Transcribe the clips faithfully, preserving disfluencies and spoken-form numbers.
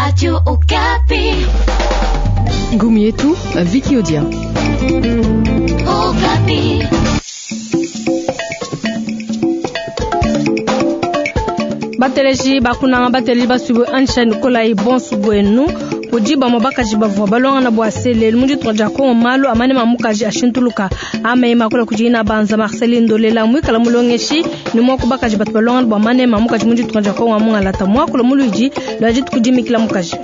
Radio Okapi. Ngumi yetu Vicky Odia. Okapi. Bateleji bakunanga bateleji basubu ansha Nikolai bonsu bwenu kudi bamwe bakaji bavua balongana bua selelu mu ditunga dia Kongo malu amane mamukaji ashintuluka ameyema kula kudi ina banza Marceline Ndolela mwikala mulongeshi ni mwaku bakaji batu balongana bua mane mamukaji mu ditunga dia Kongo amungalata mwakula muluidi lwa dituku dimikila mukaji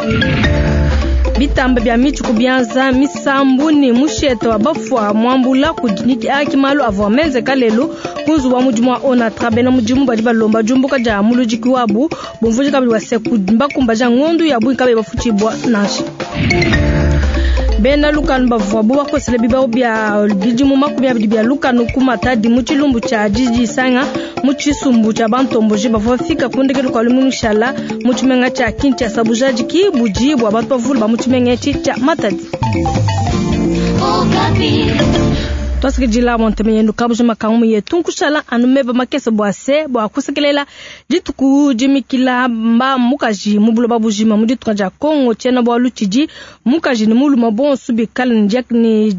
bitamba bya michi kubyanza misambu ni mushete wa bafwa mwambula kudiniki aki malu avua menze lelu kunzu wa mudimu wa Onatra bena mudimu badi balomba jumbuka ja mulujiki wabu bumvuji kabili wa seku mbakumba ja ngondu ya bui kabe bafuchibwa nansha bena lukanu bavua bo bakosele bibao bya bidimu makumi abidi bya lukanu ku Matadi mu tshilumbu tshia didisanga mu tshisumbu tshia bantomboji bavua bafika ku ndekelu kua lumingu shala mu tshimenga tshia Kinshasa bujadiki budi bua bantu bavule ba mu tshimenga etshi tshia Matadi. Twasikidila monteme yenu kabuja makangu yetu nkushala anu meba makese bua se bua kusekelela dituku dimikila mba mukaji mu buloba bujima mu ditunga dia Kongo tshiena bualu tshidi mukaji ni muluma bonso bikale ni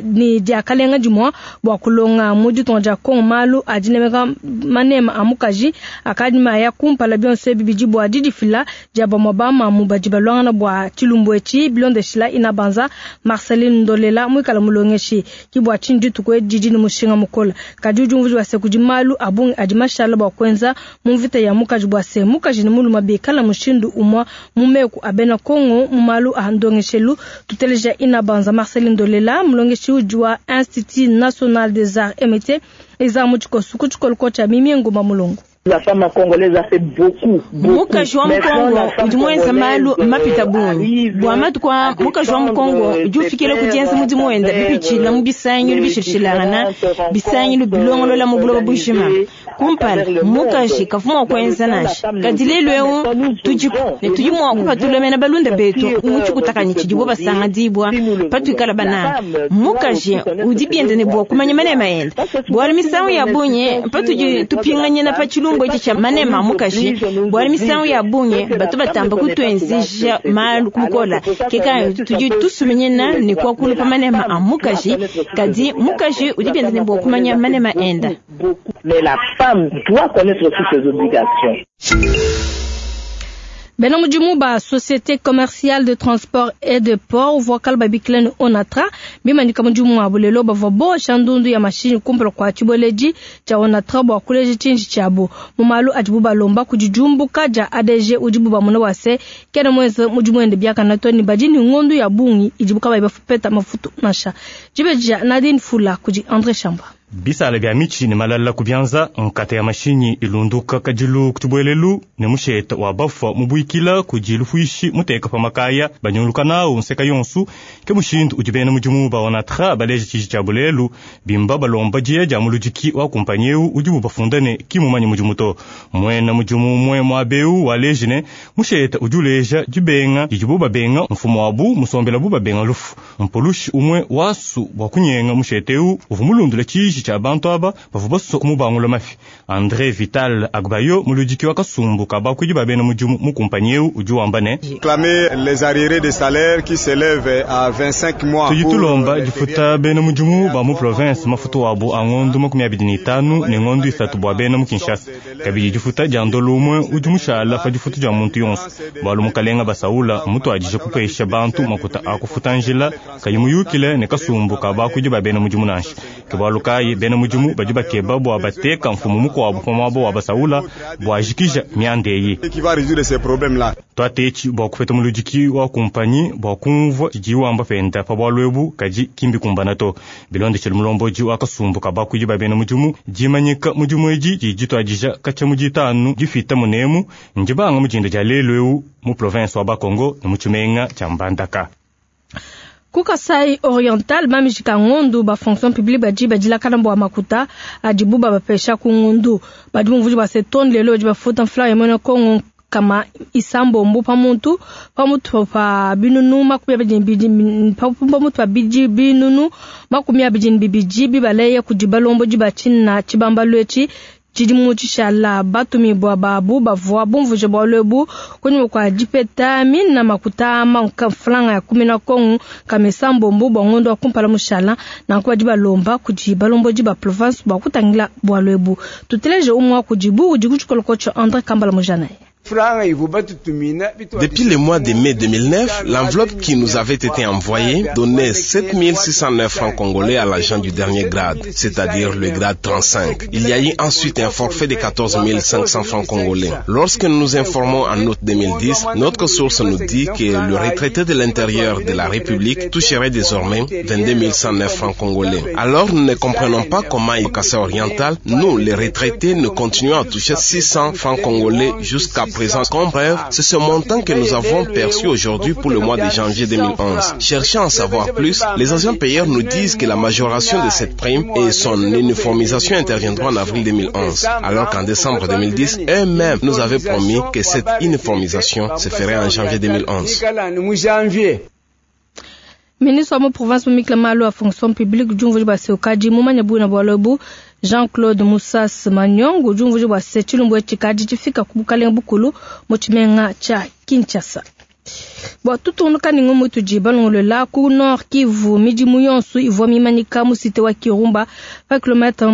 ni diakalenga dimua bua kulonga mu ditunga dia Kongo malu adinemeka manema a mukaji akadi maya kumpala bionso ebi bidi bua didifila dia bamue bamamu badi balongana bua tshilumbu etshi bilondeshila ina banza Marceline Ndolela muikala mulongeshi ki bua dituku didi ni mushinga mukola kadi udi umvuji bua kudi malu abungi adi mashala bua kuenza mu mvita ya mukaji bua se mukaji ni muluma bikala mushindu umwa mu meku abena Kongo mu malu a ndongeshelu tuteleja ina banza Marceline Ndolela mulongeshi udi wa Institut National des Arts et Métiers eza mu tshikosu ku tshikolo tshia Mimi Nguma Mulongo. La femme congolaise a fait beaucoup, beaucoup. Mukaji wa Mkongo udi mwenza malu mapita bungi bua matuku mukaji wa Mkongo udi ufikile kudienza mudimu wenda bipitshila mu bisangilu bishilshilangana bisangilu bilongolola mu buloba bujima kumpala mukaji kavua mua kuenza nansha kadi lelu eu tudiku ne tudi mua kupatulamena balunda betu mu tshikutakanyi tshidibo basanga dibua patuikala bananga mukaji udi bienda ne bua kumanya manema enda bualu misangu ya bungi patudi tupinganyina pa tshilumbu cha manema mukaji bwali misangu ya bunye batu batamba kutwenzesha malu kumukola keka tudi tusumenyena ne kwakula pa manema a mukaji kadi mukaji udi bienda ne bua kumanya manema enda. Mais la femme doit connaître aussi ses obligations. Bena mudimu ba Société commerciale de transport et de port vocal babikilani Onatra bimandika mudimu wa bulelo bavua bosha ndundu ya mashini kumpala kua tshibueledi tshia Onatra bua kuleja tshinji tshiabu mu malu adibu balomba kudi diumbuka dia A D G udibu bamona bua se kena muenze mudimu wende biakana to ne badi ne ngondu ya bungi idibu kabayi bafupeta mafutu nansha dibeja Nadine Fula kudi André Chamba. Bisala bya michi ne malala kubyanza nkata ya mashinyi ilunduka kajilu kutubwelelu ne musheta wa bafwa mubuikila kujilu fuishi muteka pa makaya banyuluka nawo nseka yonsu ke mushindu udi bena mudimu ba Onatra baleje tshiji tshia bulelu bimba balomba diya dia muludiki wa kumpanyi eu udibu bafunda ne kimumanyi mudimu to mwena mudimu mwe mwabeu waleje ne musheta udi uleja dibenga didibu babenga mfumu wabu musombela bu babenga lufu mpolushi umwe wasu bua kunyenga musheta eu uvu mulundula tshiji cha bantu aba bavua baso kumubangula mafi. André Vital Agbayo muludiki wa kasumbu kabakwidi babena mudimu mu kumpanyi eu udi wamba ne clamer les arriérés de salaire qui s'élèvent à vingt-cinq mois. Tudi tulomba difuta bena mudimu ba mu province mafutu wabu a ngondu makumi abidi ne itanu ne ngondu isatu bua bena mu Kinshasa kabidi difuta dia ndolo umwe udi mushala pa difutu dia muntu yonso bualu mukalenga basaula mutuadije kupesha bantu makuta akufuta njila kayi muyukile ne kasumbu kabakwidi babena mudimu nansha ke bualu kayi bena mudimu badi bakeba bua bateka mfumu mukuabu pa muaba wa basaula bua jikija miandeyi twatetshi bua kupeta muludiki wa kumpanyi bua kumvua tshidi wamba penda pa bualu ebu kadi kimbi kumbana to bilondeshele mulomboji wa kasumbu kabakwidi ba bena mudimu dimanyika mudimu edi didi dituadija katshia mu ditanu difita munemu ndibanga mudinda dia lelu eu mu province wa Bakongo ne mu tshimenga tshia Mbandaka. Ku Kasai Oriental bamijika ngondu ba fonction publique badi badilakana bua makuta adibu babapesha ku ngondu badi bumvuji ba seton lelo badi bafuta mfula ya mwene Kongo kama isambombo pamuntu pamutu pa binunu makumi abidi bibidi pamutu pa bidi binunu makumi abidi bibidi bibaleye kudi balombo di batshina tshibambalu etshi Tshidimu tshishala batumibua babu bavua bumvuje bualu ebu kunyima kua dipeta mina makuta mfranga ya kumi na kongo kamesa mbombo bua ngondo wa kumpala mushala nanku badi balomba kudi balombodi ba province bua kutangila bualu ebu. Tuteleje umwe wa kudibu udi ku tshikoloko tsha André Kambala Mujanaye. Depuis le mois de mai deux mille neuf, l'enveloppe qui nous avait été envoyée donnait sept mille six cent neuf francs congolais à l'agent du dernier grade, c'est-à-dire le grade trente-cinq. Il y a eu ensuite un forfait de quatorze mille cinq cents francs congolais. Lorsque nous nous informons en août deux mille dix, notre source nous dit que le retraité de l'intérieur de la République toucherait désormais vingt-deux mille cent neuf francs congolais. Alors nous ne comprenons pas comment au Kasaï oriental, nous, les retraités, nous continuons à toucher six cents francs congolais jusqu'à présent. Comme preuve, c'est ce montant que nous avons perçu aujourd'hui pour le mois de janvier deux mille onze. Cherchant à en savoir plus, les agents payeurs nous disent que la majoration de cette prime et son uniformisation interviendront en avril deux mille onze, alors qu'en décembre deux mille dix, eux-mêmes nous avaient promis que cette uniformisation se ferait en janvier deux mille onze. Ministre wa province mumikila malu a fonction publique jumvuji bua se ukadi mumanya buina bualu ebu Jean-Claude Moussas Manyongo jumvuji bua se tshilumbu etshi kadi tshifika ku bukalenga bukulu mu tshimenga tshia Kinshasa. Bua tutunduka ni ngumu tudi balongolola ku Nord Kivu midimu yonso ivua mimanyika mu cité wa Kirumba pa kilomètre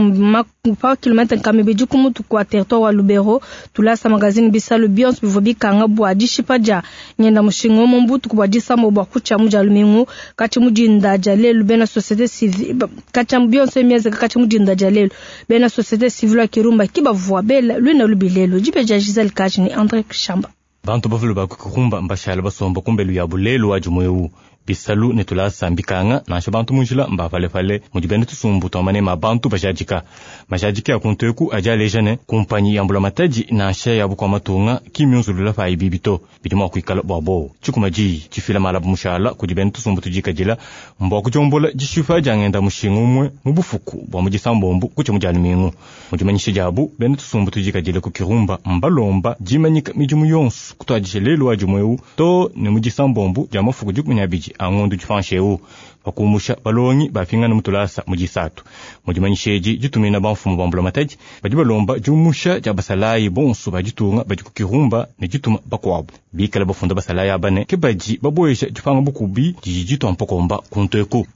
pa kilomètre nkama ibidi ku mutu kua territoire wa Lubero tulasa magazine bisalu bionso bivua bikanga bua dishipa dia ngenda mushinga mu mbutuku bua disambo bua kutshia mu dia lumingu katshi mu dinda dia lelu bena société civile katshi bionso emiezeka katshi mu dinda dia lelu bena société civile wa Kirumba kibavua bela luina lubilelu dipe dia Gisèle Kaji ni André Shamba. Bantu bavule ba Kirumba mbashala basomba kumbelu ya bulelu wa jumwewu bisalu ne tulasa mbikanga nansha bantu munjila mbapalepale mudi bene tusumbu twamane ma bantu bajadika majadika ya kunteku aja alejane kumpanyi ya mbula matadi nansha ya bukwa matunga kimyunzulula pa ibibito bidi mwa kuikala bwa bo tshikuma ji tshifila malabu mushala kudi bene tusumbu tujikadila mbwa kujombola jishifa jangenda mushinga umwe mu bufuku bwa mujisambombu kucha mujali mingu mujimanyisha jabu bene tusumbu tujikadila ku Kirumba mbalomba jimanyika midimu yonso kutwadisha lelu wa jumwewu to ne mujisambombu ja mafuku dikumi na abidi angondu jifansheu bakumusha balongi bafingana mutulasa mujisatu mujimanyisheji jitumina bamfumu bambula matadi badi balomba jumusha ja basalayi bonso bajitunga badi ku Kirumba ne jituma bakwabo bikala bafunda basalayi abane ke badi baboyesha jipanga bukubi jiji mpokomba kunteku.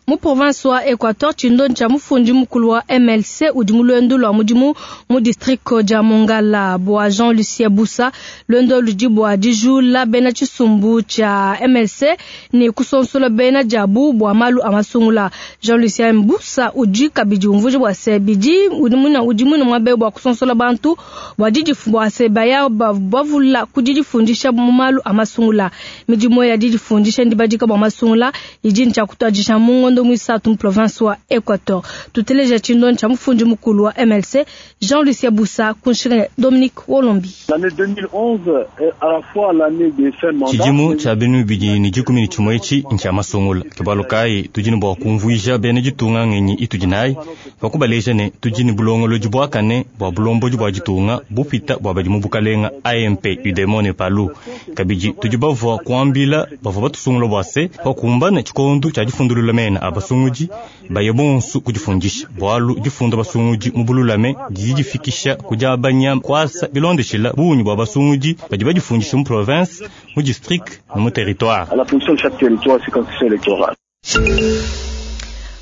Mu province wa Equateur tshindo ntsha mufundi mukulu wa M L C udi mu lwendo lwa mudimu mu district dia Mongala bua Jean-Lucien Bussa lwendo ludi bua dijula bena tshisumbu tshia M L C ne kusonsola bena diabu bua malu a masungula. Jean-Lucien Bussa udi kabidi umvuja bua se bidi udi muna udi muna muabe bua kusonsola bantu bua didifu bua se baya bavula kudidifundisha mu malu a masungula. Midimu ya didifundisha ndibadika bua masungula idi ntsha kutwadisha mu mwisatu mu province wa Equateur. Tuteleja tshindo ntsha mufundi mukulu wa M L C Jean-Lucien Bussa kunshika Dominique Wolombi. L'année deux mille onze est à la fois l'année des fins de mandat. Tshidimu tsha binu bidi ni dikumi ni tshimue etshi ntsha masungula kibalo kayi tudi ne bua kumvuija bena ditunga ngenyi itudi nayi pakubaleja ne tudi ne bulongolodi buakane bua bulombodi bua ditunga bupita bua badi mu bukalenga A M P U D M O ne PALU kabidi tudi bavua kuambila bavua batusungula bua se pakumbana tshikondu tshia difundulula mena abasungudi baye bonso kudifundisha bualu difunda basungudi mu bululame didi difikisha kudiabanya kwasa bilondeshela bungi bua basungudi badi badifundisha mu province mu district ne mu territoire. À la fonction de chaque territoire circonscription électorale.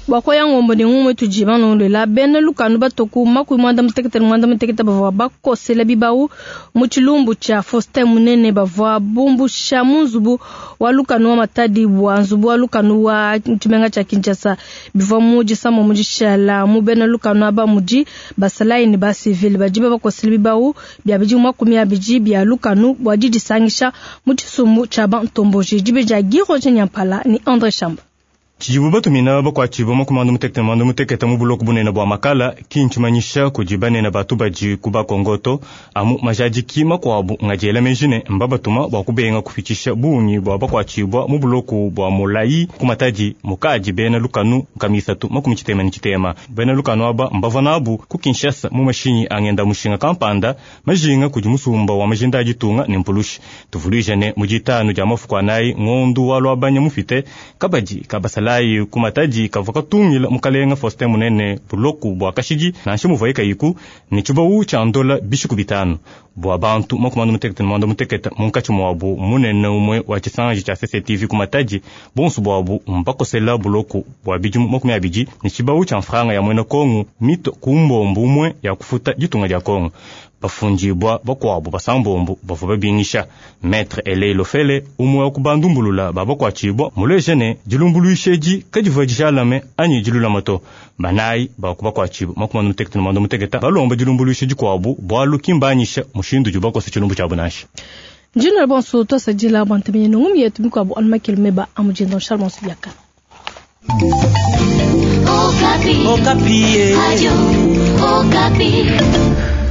Bwakoya ngombo ni ngumwe tujiba nondola bena lukanu batoku makumi mwanda mutekete mwanda mutekete bavua bakosela bibau mu tshilumbu tshia Faustin Munene bavua bumbusha mu nzubu wa lukanu wa Matadi bua nzubu wa lukanu wa tshimenga tshia Kinshasa bivua mu disamo mu dishala mu bena lukanu aba mudi basalayi ne basivile badi bakosela bibau bia bidi makumi abidi bia lukanu bua didisangisha mu tshisumbu tshia bantomboji dibe dia Guy Roger Nyampala ni André Chamba. Tshidibu batumina bakuatshibua makumi mutekete mwandu mutekete mu buloko bunene bua makala kintshimanyiša kudi banene batu badi ku bakongoto amu majadiki makuabu ngadiela menjine mbabatuma bua kubenga kupitshisha bungi bua bakuatshibua mu buloko bua molayi ku Matadi mukadi bena lukanu nkamisatu makumi tshitema ne tshitema bena lukanu aba mbavua nabu ku Kinshasa mu mashinyi angenda mushinga kampanda majinga kudi musumba wa majinda a ditunga ne mpulushi tuvuluija ne mu ditanu dia mafuku anayi ngondu wa luabanya mufite kabadi kabasala basalayi ku Matadi kavua katungila mukalenga Faustin Munene buloku bua kashidi nansha muvuaye kayiku ne tshibawu tshia ndola bishiku bitanu bua bantu makumi anu mutekete ne muanda mutekete munkatshi muabu munene umue wa tshisanji tshia C C T V ku Matadi bonso buabu mbakosela buloku bua bidimu makumi abidi ne tshibawu tshia mfranga ya muena Kongo mito ku mbombo umue ya kufuta ditunga dia Kongo. Bafundibwa bakuabu basambombo bavua babingisha Maître Elei Lofele umue wa kubandumbulula babakuatshibwa muleje ne dilumbuluisha kadivua dijalame anyi dilulama to. Banayi bakubakuatshibwa makumi anu mutekete ne muanda mutekete balomba dilumbuluisha dikuabu bualu kimbanyisha mushindu udi bakosa tshilumbu tshiabu nansha. Njino bonso twasadila bantu ngumi yetu mikuabu anumakele meba amujendo Charles Bonso Biaka. Okapi. Okapi. Radio Okapi.